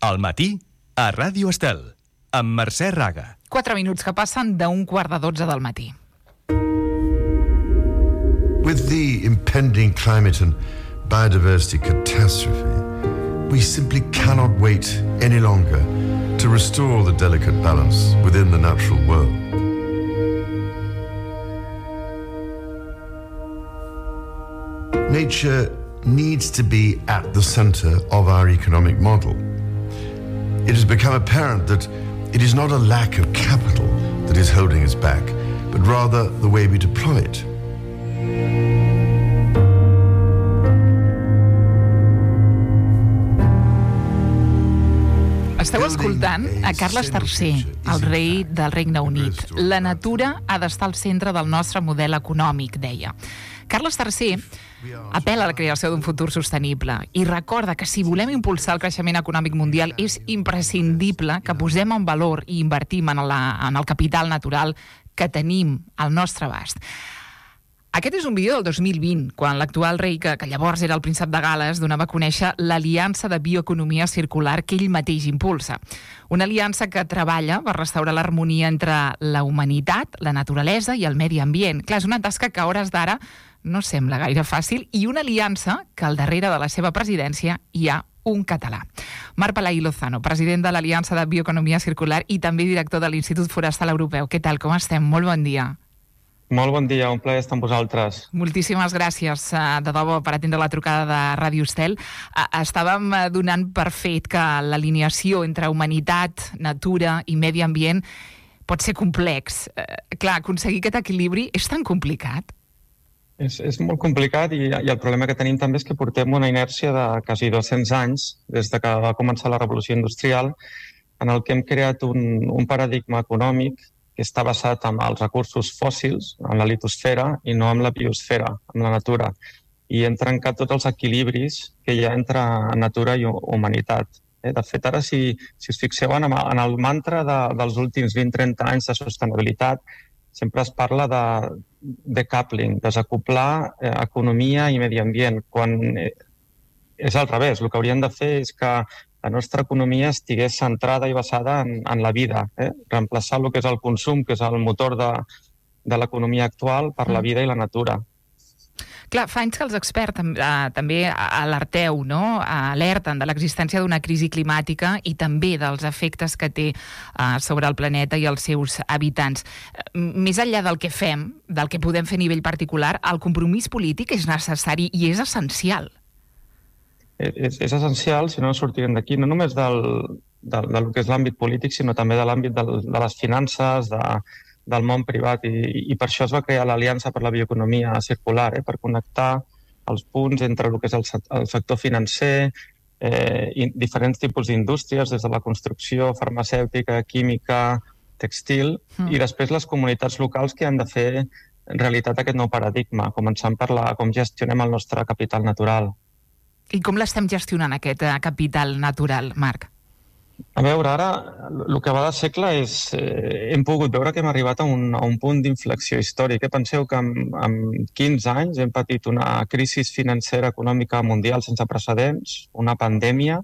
Al matí, a Ràdio Estel, amb Mercè Raga. 4 minuts que passen d'11:45 del matí. With the impending climate and biodiversity catastrophe, we simply cannot wait any longer to restore the delicate balance within the natural world. Nature needs to be at the center of our economic model. It has become apparent that it is not a lack of capital that is holding us back, but rather the way we deploy it. Esteu escoltant a Carles III, el rei del Regne Unit. La natura ha d'estar al centre del nostre model econòmic, deia. Carles III apel·la a la creació d'un futur sostenible i recorda que si volem impulsar el creixement econòmic mundial és imprescindible que posem en valor i invertim en el capital natural que tenim al nostre abast. Aquest és un vídeo del 2020, quan l'actual rei, que llavors era el príncep de Gal·les, donava a conèixer l'Aliança de Bioeconomia Circular que ell mateix impulsa. Una aliança que treballa per restaurar l'harmonia entre la humanitat, la naturalesa i el medi ambient. Clar, és una tasca que a hores d'ara no sembla gaire fàcil, i una aliança que al darrere de la seva presidència hi ha un català. Marc Palaí Lozano, president de l'Aliança de Bioeconomia Circular i també director de l'Institut Forestal Europeu. Què tal, com estem? Molt bon dia. Molt bon dia, un plaer estar amb vosaltres. Moltíssimes gràcies, de debò, per atendre la trucada de Ràdio Estel. Estàvem donant per fet que l'alineació entre humanitat, natura i medi ambient pot ser complex. Clar, aconseguir aquest equilibri és tan complicat? És molt complicat i el problema que tenim també és que portem una inèrcia de quasi 200 anys, des de que va començar la revolució industrial, en el que hem creat un paradigma econòmic que està basat en els recursos fòssils, en la litosfera, i no en la biosfera, en la natura. I hem trencat tots els equilibris que hi ha entre natura i humanitat. De fet, ara, si us fixeu en el mantra dels últims 20-30 anys de sostenibilitat, sempre es parla de decoupling, desacoplar economia i medi ambient, quan és al revés. El que hauríem de fer és que la nostra economia estigués centrada i basada en la vida, reemplaçar el que és el consum, que és el motor de l'economia actual, per la vida i la natura. Clar, fa anys que els experts també alerteu, no? Alerten de l'existència d'una crisi climàtica i també dels efectes que té sobre el planeta i els seus habitants. Més enllà del que fem, del que podem fer a nivell particular, el compromís polític és necessari i és essencial. És essencial, si no sortirem d'aquí, no només del que és l'àmbit polític, sinó també de l'àmbit de les finances, del món privat, i per això es va crear l'Aliança per la Bioeconomia Circular, per connectar els punts entre el que és el sector financer, diferents tipus d'indústries, des de la construcció, farmacèutica, química, textil, i després les comunitats locals que han de fer realitat aquest nou paradigma, començant per com gestionem el nostre capital natural. I com l'estem gestionant, aquest capital natural, Marc? A veure, ara, el que va de segle és... hem pogut veure que hem arribat a un punt d'inflexió històric. Penseu que en 15 anys hem patit una crisi financera econòmica mundial sense precedents, una pandèmia.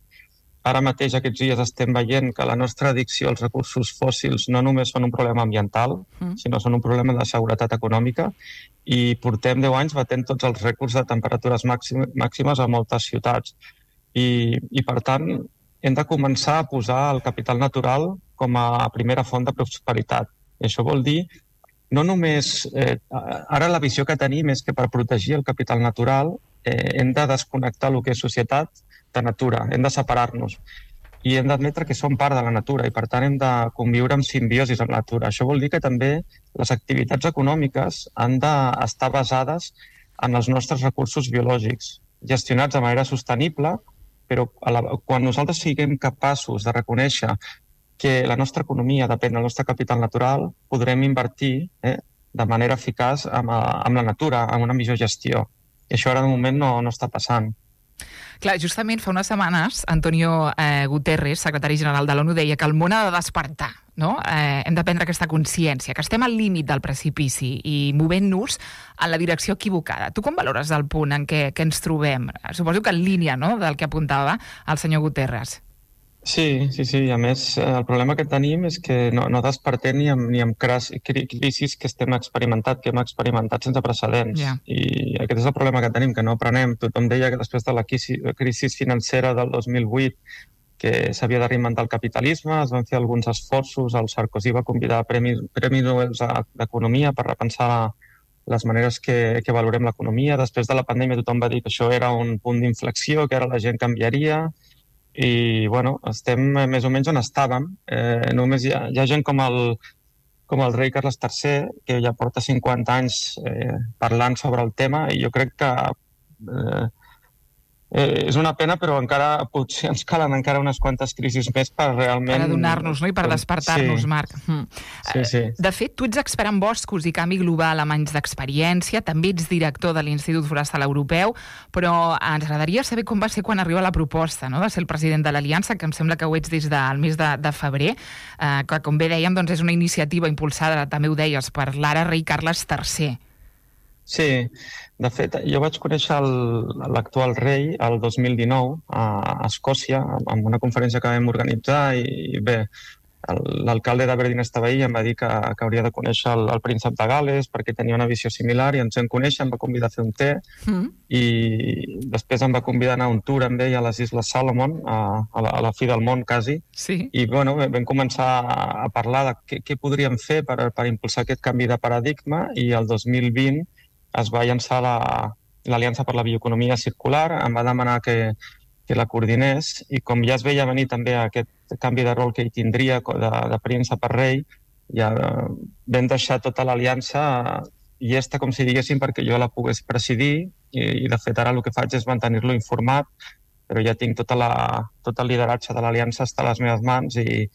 Ara mateix, aquests dies, estem veient que la nostra addicció als recursos fòssils no només són un problema ambiental, sinó són un problema de seguretat econòmica, i portem 10 anys batent tots els rècords de temperatures màximes a moltes ciutats. I per tant, hem de començar a posar el capital natural com a primera font de prosperitat. I això vol dir, no només... Ara la visió que tenim és que per protegir el capital natural hem de desconnectar el que és societat de natura, hem de separar-nos. I hem d'admetre que som part de la natura i, per tant, hem de conviure en simbiosis amb la natura. Això vol dir que també les activitats econòmiques han d'estar basades en els nostres recursos biològics, gestionats de manera sostenible, però quan nosaltres siguem capaços de reconèixer que la nostra economia depèn del nostre capital natural, podrem invertir de manera eficaç amb la natura, amb una millor gestió. I això ara de moment no està passant. Clar, justament fa unes setmanes, Antonio Guterres, secretari general de l'ONU, deia que el món ha de despertar, no? Hem de prendre aquesta consciència, que estem al límit del precipici i movent-nos en la direcció equivocada. Tu com valores el punt en què ens trobem? Suposo que en línia, no?, del que apuntava el senyor Guterres. Sí. A més, el problema que tenim és que no despertem ni amb crisis que hem experimentat sense precedents. Ja. I aquest és el problema que tenim, que no aprenem. Tothom deia que després de la crisi financera del 2008 que s'havia de reinventar el capitalisme, es van fer alguns esforços, el Sarkozy va convidar Premis Nobel d'Economia per repensar les maneres que valorem l'economia. Després de la pandèmia tothom va dir que això era un punt d'inflexió, que ara la gent canviaria, i bueno, estem més o menys on estàvem. Només hi ha gent com el rei Carles III, que ja porta 50 anys parlant sobre el tema, i jo crec que és una pena, però encara potser ens calen encara unes quantes crisis més per realment... Per adonar-nos, no? I per despertar-nos, sí. Marc. Sí. De fet, tu ets expert en boscos i canvi global amb anys d'experiència, també ets director de l'Institut Forestal Europeu, però ens agradaria saber com va ser quan arriba la proposta, no?, de ser el president de l'Aliança, que em sembla que ho ets des del mes de febrer, que, com bé dèiem, doncs és una iniciativa impulsada, també ho deies, per l'ara rei Carles III. Sí, de fet, jo vaig conèixer l'actual rei el 2019 a Escòcia, en una conferència que vam organitzar, i bé, l'alcalde d'Aberdeen estava ahí i em va dir que hauria de conèixer el príncep de Gal·les perquè tenia una visió similar, i ens vam conèixer, em va convidar a fer un té, i després em va convidar a anar a un tour amb ell a les Isles Salomon, a la fi del món, quasi. Sí. I bueno, vam començar a parlar de què podríem fer per impulsar aquest canvi de paradigma, i el 2020 es va llançar l'Aliança per la Bioeconomia Circular, em va demanar que la coordinés, i com ja es veia venir també aquest canvi de rol que hi tindria de príncep a rei, ja vam deixar tota l'aliança llesta, com si diguéssim, perquè jo la pogués presidir, i de fet ara el que faig és mantenir-lo informat, però ja tinc tot el lideratge de l'aliança està a les meves mans, i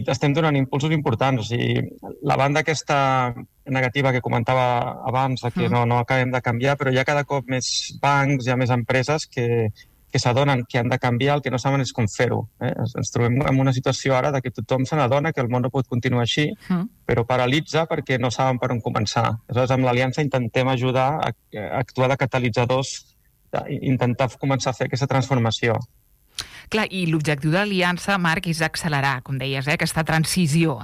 estem donant impulsos importants. O sigui, la banda aquesta negativa que comentava abans, que no acabem de canviar, però hi ha cada cop més bancs, hi ha més empreses que s'adonen que han de canviar, el que no saben és com fer-ho. Ens trobem en una situació ara que tothom se n'adona que el món no pot continuar així, però paralitza perquè no saben per on començar. Aleshores, amb l'Aliança intentem ajudar a actuar de catalitzadors, intentar començar a fer aquesta transformació. Clar, i l'objectiu de l'Aliança, Marc, és accelerar, com deies, aquesta transició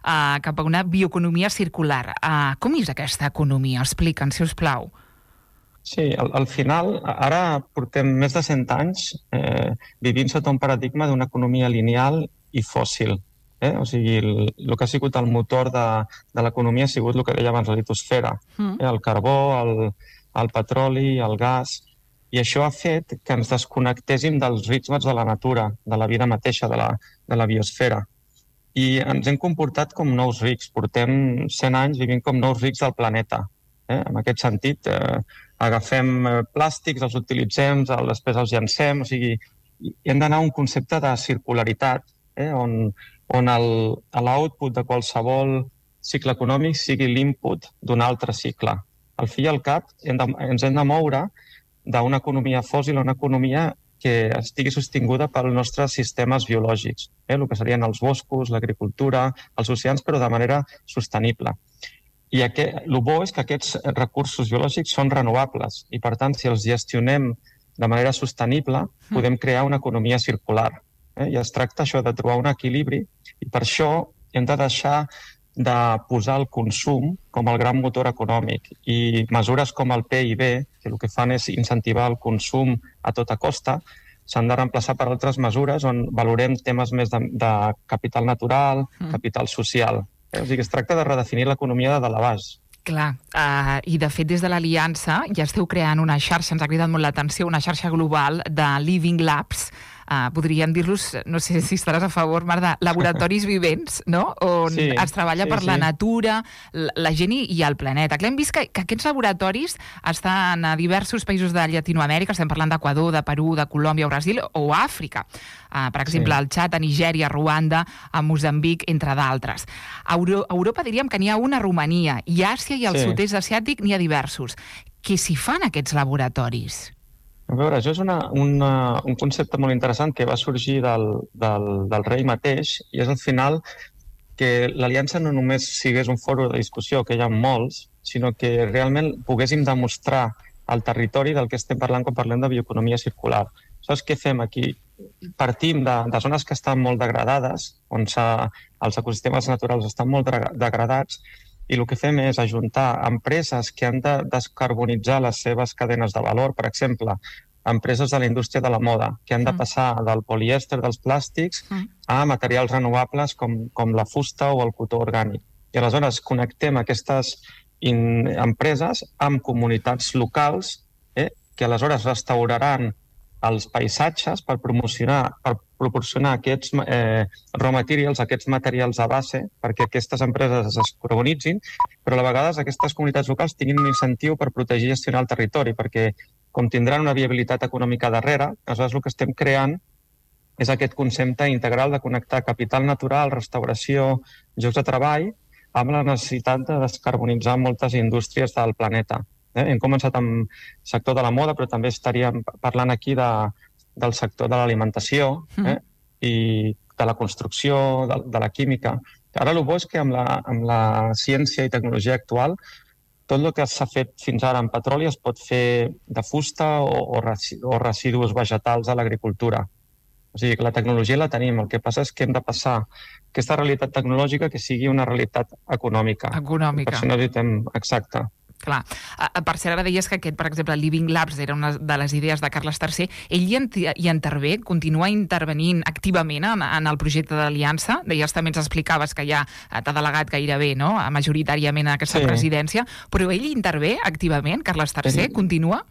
cap a una bioeconomia circular. Com és aquesta economia? Explica'ns, si us plau. Sí, al final, ara portem més de 100 anys vivint sota un paradigma d'una economia lineal i fòssil. O sigui, el que ha sigut el motor de l'economia ha sigut el que deia abans, la litosfera. El carbó, el petroli, el gas... I això ha fet que ens desconnectéssim dels ritmes de la natura, de la vida mateixa, de la biosfera. I ens hem comportat com nous rics. Portem 100 anys vivint com nous rics del planeta. En aquest sentit, agafem plàstics, els utilitzem, després els llancem. O sigui, hem d'anar a un concepte de circularitat, on l'output de qualsevol cicle econòmic sigui l'input d'un altre cicle. Al fi i al cap, ens hem de moure d'una economia fòssil a una economia que estigui sostinguda pels nostres sistemes biològics, el que serien els boscos, l'agricultura, els oceans, però de manera sostenible. I el bo és que aquests recursos biològics són renovables i, per tant, si els gestionem de manera sostenible, podem crear una economia circular. I es tracta això de trobar un equilibri, i per això hem de deixar de posar el consum com el gran motor econòmic, i mesures com el PIB, que el que fan és incentivar el consum a tota costa, s'han de reemplaçar per altres mesures on valorem temes més de capital natural, capital social. O sigui, es tracta de redefinir l'economia de dalt a baix. Clar, i de fet des de l'Aliança ja esteu creant una xarxa, ens ha cridat molt l'atenció, una xarxa global de Living Labs, podríem dir-los, no sé si estaràs a favor, Marc, de laboratoris vivents, no? On es treballa per la natura, la gent i el planeta. Clar, hem vist que aquests laboratoris estan a diversos països de Llatinoamèrica, estem parlant d'Equador, de Perú, de Colòmbia, Brasil o Àfrica. Per exemple, al Txad, a Nigèria, a Ruanda, a Moçambic, entre d'altres. A Europa diríem que n'hi ha una a Romania, i a Àsia i al sud-est asiàtic n'hi ha diversos. Què s'hi fan aquests laboratoris? A veure, això és un concepte molt interessant que va sorgir del rei mateix, i és al final que l'Aliança no només sigués un fòrum de discussió, que hi ha molts, sinó que realment poguéssim demostrar al territori del que estem parlant quan parlem de bioeconomia circular. Saps què fem aquí? partim de zones que estan molt degradades, on els ecosistemes naturals estan molt degradats, i el que fem és ajuntar empreses que han de descarbonitzar les seves cadenes de valor, per exemple, empreses de la indústria de la moda, que han de passar del polièster dels plàstics a materials renovables com la fusta o el cotó orgànic. I aleshores connectem aquestes empreses amb comunitats locals que aleshores restauraran els paisatges per proporcionar aquests raw materials, aquests materials de base, perquè aquestes empreses es descarbonitzin, però a vegades aquestes comunitats locals tinguin un incentiu per protegir i gestionar el territori, perquè com tindran una viabilitat econòmica darrere, aleshores el que estem creant és aquest concepte integral de connectar capital natural, restauració, llocs de treball, amb la necessitat de descarbonitzar moltes indústries del planeta. Hem començat amb el sector de la moda, però també estaríem parlant aquí del sector de l'alimentació i de la construcció, de la química. Ara el bo és que amb la ciència i tecnologia actual tot el que s'ha fet fins ara en petroli es pot fer de fusta o residus vegetals a l'agricultura. O sigui que la tecnologia la tenim, el que passa és que hem de passar aquesta realitat tecnològica que sigui una realitat econòmica. Econòmica. Per això necessitem... Exacte. Clar. Per cert, ara deies que aquest, per exemple, Living Labs era una de les idees de Carles III. Ell hi intervé, continua intervenint activament en el projecte d'aliança. Deies, també ens explicaves que ja t'ha delegat gairebé, no?, majoritàriament a aquesta presidència, però ell intervé activament, Carles III, continua?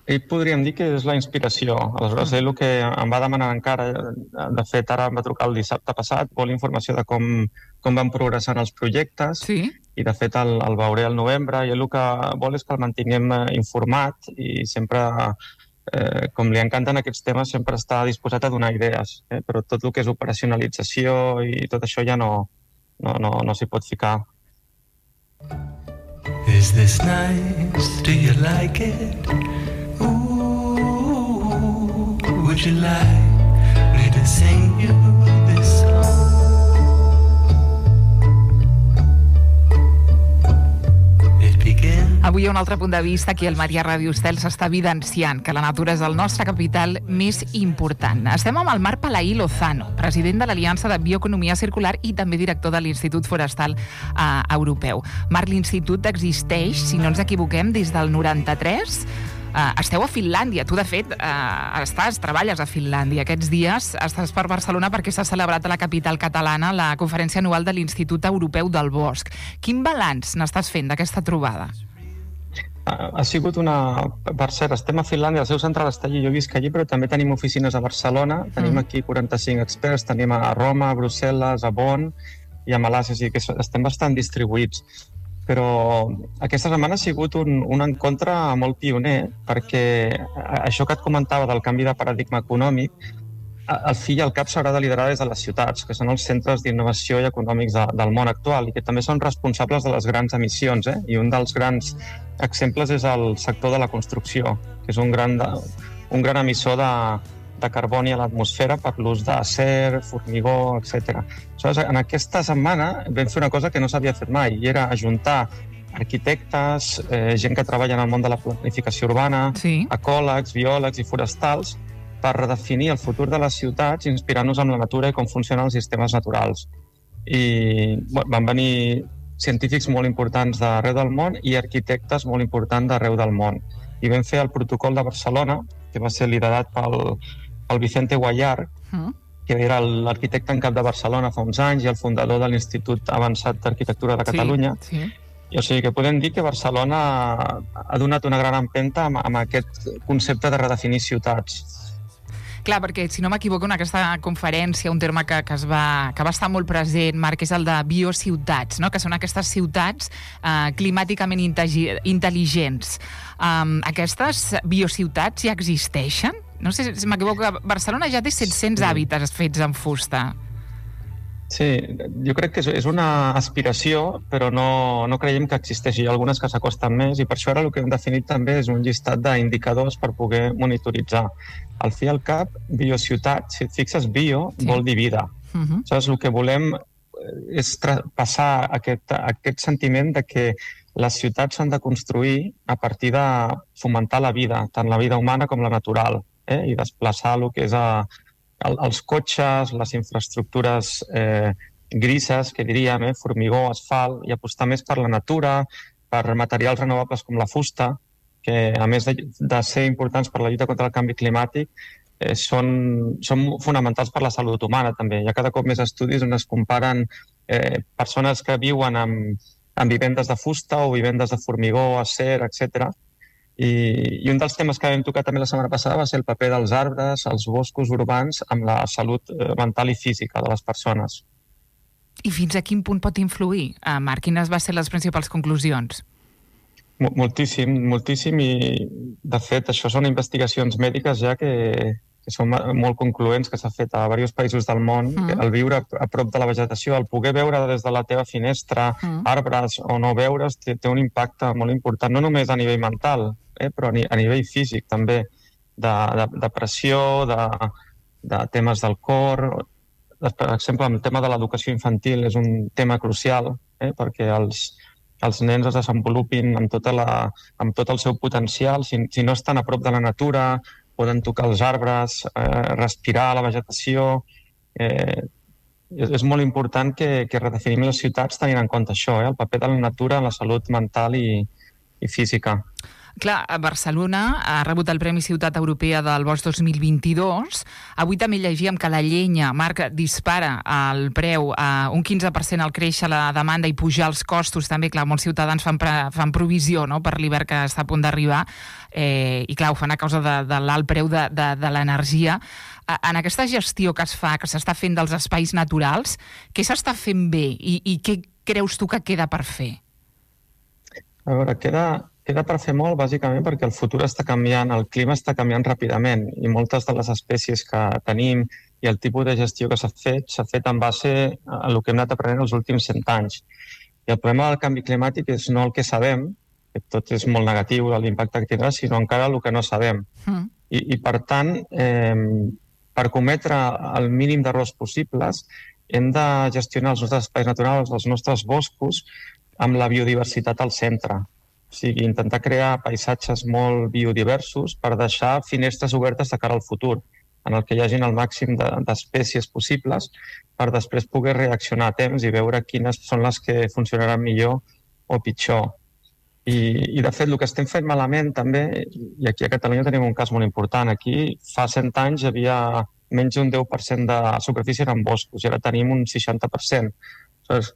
Ell podríem dir que és la inspiració. Aleshores, ell el que em va demanar encara, de fet, ara em va trucar el dissabte passat, vol informació de com van progressant els projectes, i de fet el veuré al novembre, i ell el que vol és que el mantinguem informat i sempre, com li encanten aquests temes, sempre està disposat a donar idees, però tot el que és operacionalització i tot això ja no s'hi pot ficar. Is this nice? Do you like it? Ooh, would you like me to sing you this song? Avui hi ha un altre punt de vista que el Maria Ràdio Estel s'està evidenciant que la natura és el nostre capital més important. Estem amb el Marc Palaí Lozano, president de l'Aliança de Bioeconomia Circular i també director de l'Institut Forestal Europeu. Marc, l'institut existeix, si no ens equivoquem, des del 93. Esteu a Finlàndia. Tu, de fet, treballes a Finlàndia. Aquests dies estàs per Barcelona perquè s'ha celebrat a la capital catalana la conferència anual de l'Institut Europeu del Bosc. Quin balanç n'estàs fent d'aquesta trobada? Ha sigut una... Per cert, estem a Finlàndia, el seu central està allí, jo visc allí, però també tenim oficines a Barcelona, tenim aquí 45 experts, tenim a Roma, a Brussel·les, a Bonn i a Malàcia, o sigui que estem bastant distribuïts. Però aquesta setmana ha sigut un encontre molt pioner, perquè això que et comentava del canvi de paradigma econòmic, al fi i al cap s'haurà de liderar des de les ciutats, que són els centres d'innovació i econòmics del món actual i que també són responsables de les grans emissions. I un dels grans exemples és el sector de la construcció, que és un gran emissor de carboni a l'atmosfera per l'ús d'acer, formigó, etc. En aquesta setmana vam fer una cosa que no s'havia fet mai, i era ajuntar arquitectes, gent que treballa en el món de la planificació urbana, ecòlegs, biòlegs i forestals, per redefinir el futur de les ciutats inspirant-nos en la natura i com funcionen els sistemes naturals. I van venir científics molt importants d'arreu del món i arquitectes molt importants d'arreu del món. I vam fer el protocol de Barcelona, que va ser liderat pel Vicente Guallar, que era l'arquitecte en cap de Barcelona fa uns anys i el fundador de l'Institut Avançat d'Arquitectura de Catalunya. I, o sigui que podem dir que Barcelona ha donat una gran empenta amb aquest concepte de redefinir ciutats. Clar, perquè, si no m'equivoco, en aquesta conferència un terme que va estar molt present, Marc, és el de biociutats, no?, que són aquestes ciutats climàticament intel·ligents. Aquestes biociutats ja existeixen? No sé si m'equivoco, Barcelona ja té 700 hàbitats fets en fusta. Sí, jo crec que és una aspiració, però no creiem que existeixi. Hi ha algunes que s'acosten més i per això ara el que hem definit també és un llistat d'indicadors per poder monitoritzar. Al fi i al cap, biociutat, si et fixes, bio vol dir vida. Aleshores, el que volem és passar aquest sentiment de que les ciutats s'han de construir a partir de fomentar la vida, tant la vida humana com la natural, i desplaçar el que és els cotxes, les infraestructures grises, que diríem, formigó, asfalt, i apostar més per la natura, per materials renovables com la fusta, que a més de ser importants per la lluita contra el canvi climàtic, són fonamentals per la salut humana també. Hi ha cada cop més estudis on es comparen persones que viuen en vivendes de fusta o vivendes de formigó, acer, etc. I un dels temes que vam tocar també la setmana passada va ser el paper dels arbres, els boscos urbans, amb la salut mental i física de les persones. I fins a quin punt pot influir? Marc, quines van ser les principals conclusions? Moltíssim, moltíssim, i de fet això són investigacions mèdiques ja que són molt concloents, que s'ha fet a diversos països del món. El viure a prop de la vegetació, el poder veure des de la teva finestra arbres o no veure's, té un impacte molt important, no només a nivell mental, però a nivell físic també, de pressió, de temes del cor. Per exemple, el tema de l'educació infantil és un tema crucial, perquè els nens es desenvolupin amb tot el seu potencial. Si no estan a prop de la natura, poden tocar els arbres, respirar la vegetació. És molt important que redefinim les ciutats tenint en compte això, el paper de la natura en la salut mental i física. Clar, Barcelona ha rebut el Premi Ciutat Europea del Bosc 2022. Avui també llegíem que la llenya, Marc, dispara el preu a un 15% al créixer la demanda i pujar els costos. També, clar, molts ciutadans fan provisió, no?, per l'hivern que està a punt d'arribar, i clar, ho fan a causa de l'alt preu de l'energia. En aquesta gestió que es fa, que s'està fent dels espais naturals, què s'està fent bé i què creus tu que queda per fer? A veure, queda per fer molt, bàsicament, perquè el futur està canviant, el clima està canviant ràpidament i moltes de les espècies que tenim i el tipus de gestió que s'ha fet en base a el que hem anat aprenent els últims 100 anys. I el problema del canvi climàtic és no el que sabem, que tot és molt negatiu, l'impacte que tindrà, sinó encara el que no sabem. I per tant, per cometre el mínim d'errors possibles, hem de gestionar els nostres espais naturals, els nostres boscos, amb la biodiversitat al centre. O sigui, intentar crear paisatges molt biodiversos per deixar finestres obertes de cara al futur, en el que hi hagin el màxim d'espècies possibles per després poder reaccionar a temps i veure quines són les que funcionaran millor o pitjor. I de fet, el que estem fent malament també, i aquí a Catalunya tenim un cas molt important, aquí fa 100 anys hi havia menys d'un 10% de superfície en boscos i ara tenim un 60%.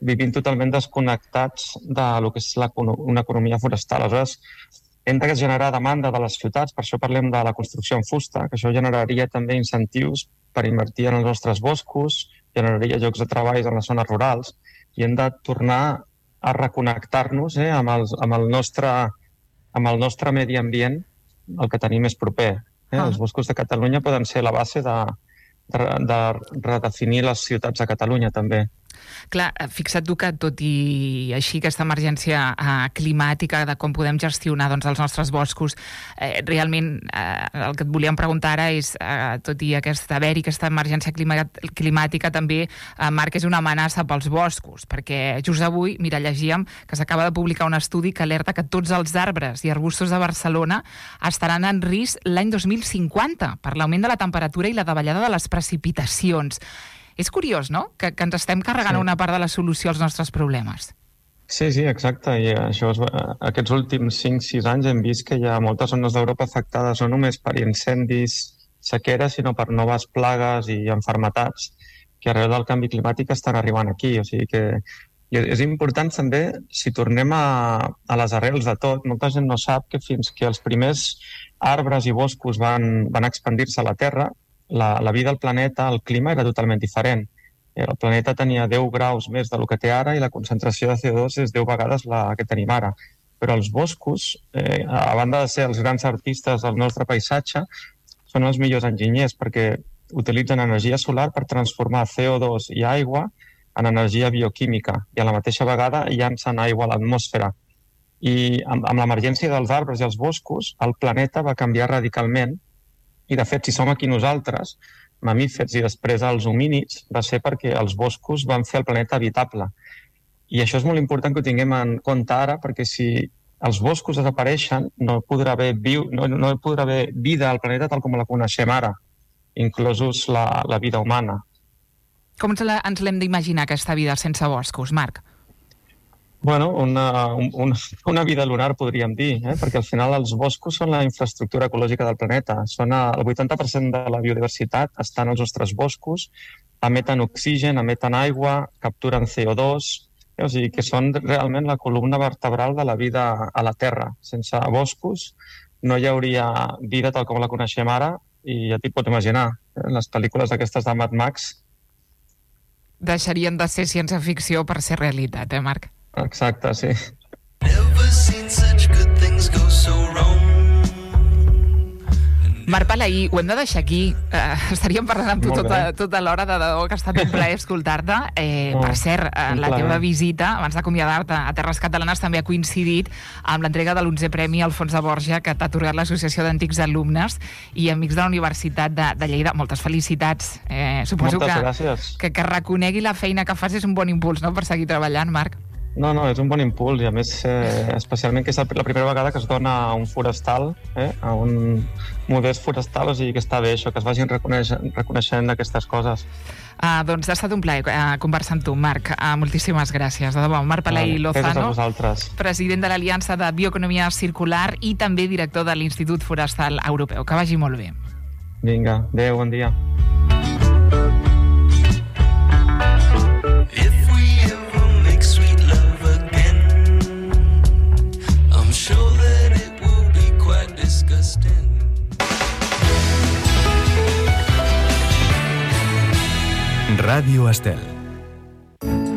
Vivim totalment desconnectats del que és una economia forestal. Aleshores, hem de generar demanda de les ciutats, per això parlem de la construcció en fusta, que això generaria també incentius per invertir en els nostres boscos, generaria llocs de treball en les zones rurals, i hem de tornar a reconnectar-nos amb el nostre medi ambient, el que tenim més proper. Els boscos de Catalunya poden ser la base de redefinir les ciutats de Catalunya, també. Clar, fixa't tu que tot i així aquesta emergència climàtica de com podem gestionar els nostres boscos, realment el que et volíem preguntar ara és, tot i aquesta emergència climàtica també, Marc, és una amenaça pels boscos, perquè just avui, mira, llegíem que s'acaba de publicar un estudi que alerta que tots els arbres i arbustos de Barcelona estaran en risc l'any 2050 per l'augment de la temperatura i la davallada de les precipitacions. És curiós, no?, que ens estem carregant una part de la solució als nostres problemes. Sí, exacte. I aquests últims 5-6 anys hem vist que hi ha moltes zones d'Europa afectades no només per incendis, sequeres, sinó per noves plagues i malalties que arreu del canvi climàtic estan arribant aquí. O sigui que és important també, si tornem a les arrels de tot, molta gent no sap que fins que els primers arbres i boscos van expandir-se a la Terra, la vida al planeta, el clima era totalment diferent. El planeta tenia 10 graus més del que té ara i la concentració de CO2 és 10 vegades la que tenim ara. Però els boscos, a banda de ser els grans artistes del nostre paisatge, són els millors enginyers perquè utilitzen energia solar per transformar CO2 i aigua en energia bioquímica i a la mateixa vegada llancen aigua a l'atmosfera. I amb l'emergència dels arbres i els boscos, el planeta va canviar radicalment. I, de fet, si som aquí nosaltres, mamífers i després els homínids, va ser perquè els boscos van fer el planeta habitable. I això és molt important que ho tinguem en compte ara, perquè si els boscos desapareixen, no podrà haver vida al planeta tal com la coneixem ara. inclosos la vida humana. Com ens l'hem d'imaginar, aquesta vida sense boscos, Marc? Bueno, una vida lunar, podríem dir, perquè al final els boscos són la infraestructura ecològica del planeta. El 80% de la biodiversitat està en els nostres boscos, emeten oxigen, emeten aigua, capturen CO2, o sigui que són realment la columna vertebral de la vida a la Terra. Sense boscos no hi hauria vida tal com la coneixem ara, i ja t'hi pots imaginar, les pel·lícules aquestes de Mad Max deixarien de ser ciència-ficció per ser realitat, Marc? Exacte, sí. Never seen such good things go so wrong. Marc Palaí, ho hem de deixar aquí. Estaríem parlant amb tu Molt bé. tota l'hora, de debò que ha estat un plaer escoltar-te. Per cert, la teva visita, abans d'acomiadar-te a Terres Catalanes, també ha coincidit amb l'entrega de l'11è Premi Alfons de Borja, que t'ha atorgat l'Associació d'Antics Alumnes i Amics de la Universitat de Lleida. Moltes felicitats. Suposo que reconegui la feina que fas és un bon impuls, no?, per seguir treballant, Marc. No, és un bon impuls, i a més, especialment que és la primera vegada que es dona a un forestal, a un modest forestal, o sigui que està bé això, que es vagin reconeixent aquestes coses. Doncs ha estat un plaer conversar amb tu, Marc. Moltíssimes gràcies. De debò, Marc Palaí Lozano, president de l'Aliança de Bioeconomia Circular i també director de l'Institut Forestal Europeu. Que vagi molt bé. Vinga, adéu, bon dia. Ràdio Estel.